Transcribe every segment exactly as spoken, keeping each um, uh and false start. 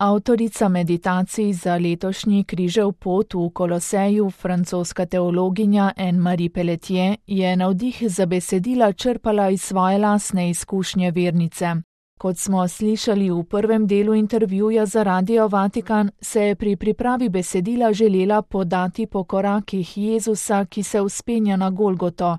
Avtorica meditacij za letošnji križev pot v Koloseju, francoska teologinja Anne-Marie Pelletier, je navdih za besedila črpala iz svoje lastne izkušnje vernice. Kot smo slišali v prvem delu intervjuja za Radio Vatikan, se je pri pripravi besedila želela podati po korakih Jezusa, ki se vzpenja na Golgoto,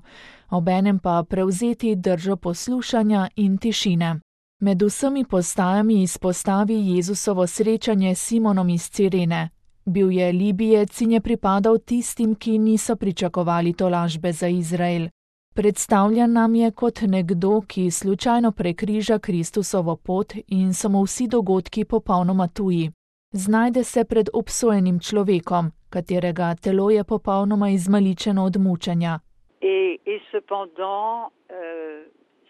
obenem pa prevzeti držo poslušanja in tišine. Med vsemi postajami izpostavi Jezusovo srečanje s Simonom iz Cirene. Bil je Libijec in je pripadal tistim, ki niso pričakovali tolažbe za Izrael. Predstavljen nam je kot nekdo, ki slučajno prekriža Kristusovo pot in so mu vsi dogodki popolnoma tuji. Znajde se pred obsojenim človekom, katerega telo je popolnoma izmaličeno od mučenja. Et, et cependant, euh,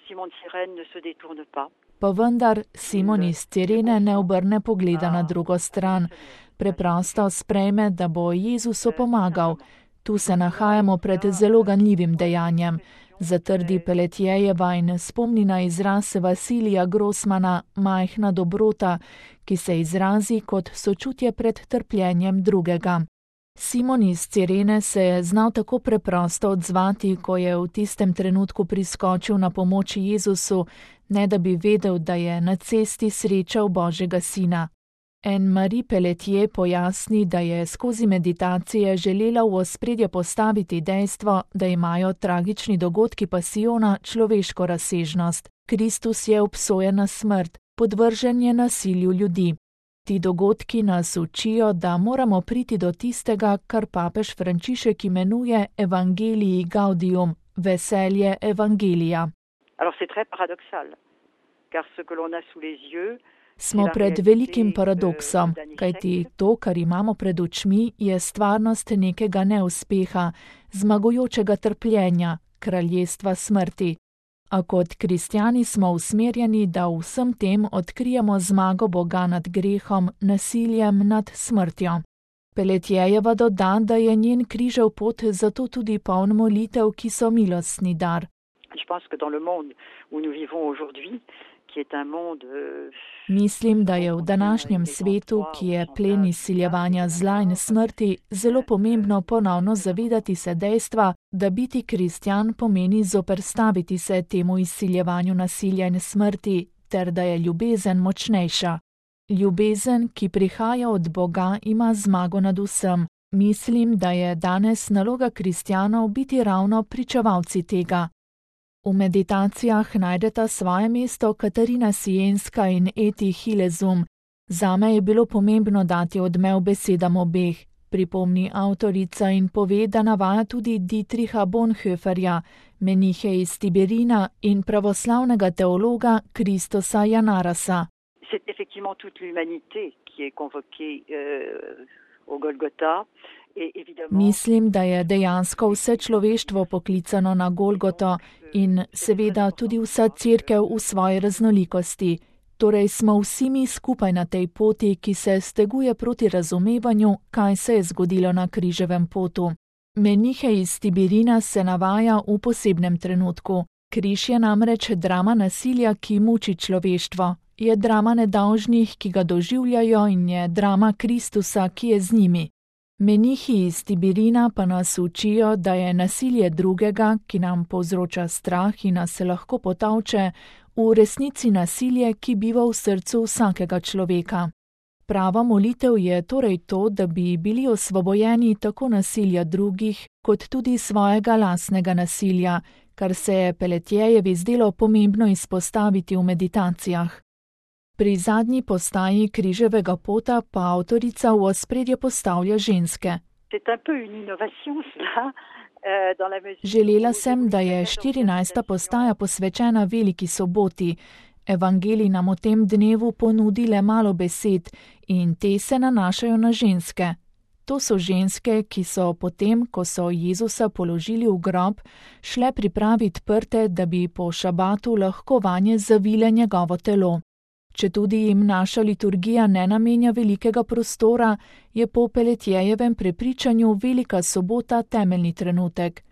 Simon de Cyrène ne se détourne pas. Pa vendar Simon iz Cirene ne obrne pogleda na drugo stran. Preprosto sprejme, da bo Jezusu pomagal. Tu se nahajamo pred zelo ganljivim dejanjem. Zatrdi Pelletierjeva in spomni na izraz Vasilija Grossmana majhna dobrota, ki se izrazi kot sočutje pred trpljenjem drugega. Simon iz Cirene se je znal tako preprosto odzvati, ko je v tistem trenutku priskočil na pomoč Jezusu, ne da bi vedel, da je na cesti srečal Božjega sina. Anne-Marie Pelletier pojasni, da je skozi meditacije želela v ospredje postaviti dejstvo, da imajo tragični dogodki pasijona človeško razsežnost. Kristus je obsojen na smrt, podvržen je nasilju ljudi. Ti dogodki nas učijo, da moramo priti do tistega, kar papež Frančišek imenuje Evangelii Gaudium, veselje evangelija. Alors c'est très paradoxal, car ce que l'on a sous les yeux, Smo pred velikim paradoksom, kajti to, kar imamo pred očmi, je stvarnost nekega neuspeha, zmagujočega trpljenja, kraljestva smrti. A kot kristjani smo usmerjeni, da v vsem tem odkrijemo zmago Boga nad grehom, nasiljem nad smrtjo. Pelletierjeva doda, da je njen križev pot zato tudi poln molitev, ki so milostni dar. Je pense que dans le monde où nous vivons aujourd'hui, qui est un monde Mislim, da je v današnjem svetu, ki je plen izsiljevanja zla in smrti, zelo pomembno ponovno zavedati se dejstva, da biti kristjan pomeni zoperstaviti se temu izsiljevanju nasilja in smrti, ter da je ljubezen močnejša. Ljubezen, ki prihaja od Boga, ima zmago nad vsem. Mislim, da je danes naloga kristjanov biti ravno pričevalci tega. V meditacijah najdeta svoje mesto Katarina Sienska in Eti Hilezum. Zame je bilo pomembno dati odmev besedam obeh, pripomni avtorica in pove, da navaja tudi Dietricha Bonhoefferja, menihe iz Tiberina in pravoslavnega teologa Kristosa Janarasa. C'est effectivement toute l'humanité qui est convoquée euh, au Golgotha. Mislim, da je dejansko vse človeštvo poklicano na Golgoto in seveda tudi vsa cerkev v svoji raznolikosti. Torej smo vsi mi skupaj na tej poti, ki se steguje proti razumevanju, kaj se je zgodilo na križevem potu. Menihe iz Tiberina se navaja v posebnem trenutku. Križ je namreč drama nasilja, ki muči človeštvo. Je drama nedolžnih, ki ga doživljajo, in je drama Kristusa, ki je z njimi. Menihi iz Tiberina pa nas učijo, da je nasilje drugega, ki nam povzroča strah in nas lahko potavče, v resnici nasilje, ki biva v srcu vsakega človeka. Prava molitev je torej to, da bi bili osvobojeni tako nasilja drugih, kot tudi svojega lastnega nasilja, kar se je Pelletierjevi zdelo pomembno izpostaviti v meditacijah. Pri zadnji postaji križevega pota pa avtorica v ospredje postavlja ženske. Želela sem, da je štirinajsta postaja posvečena veliki soboti. Evangelij nam v tem dnevu ponudi le malo besed in te se nanašajo na ženske. To so ženske, ki so potem, ko so Jezusa položili v grob, šle pripraviti prte, da bi po šabatu lahko vanje zavile njegovo telo. Četudi jim naša liturgija ne namenja velikega prostora, je po Pelletierjevem prepričanju velika sobota temeljni trenutek.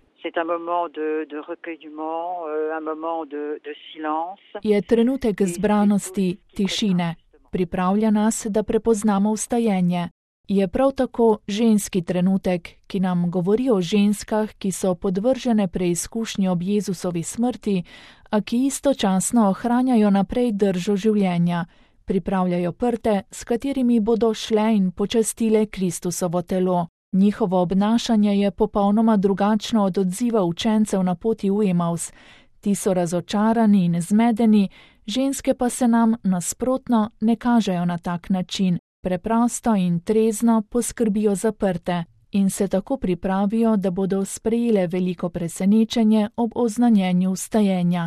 Je trenutek zbranosti, tišine. pripravlja nas, da prepoznamo vstajenje. Je prav tako ženski trenutek, ki nam govori o ženskah, ki so podvržene preizkušnji ob Jezusovi smrti, a ki istočasno ohranjajo naprej držo življenja, pripravljajo prte, s katerimi bodo šle in počastile Kristusovo telo. Njihovo obnašanje je popolnoma drugačno od odziva učencev na poti v Emaus. Ti so razočarani in zmedeni, ženske pa se nam nasprotno ne kažejo na tak način. Preprosto in trezno poskrbijo za prte in se tako pripravijo, da bodo sprejele veliko presenečenje ob oznanjenju vstajenja.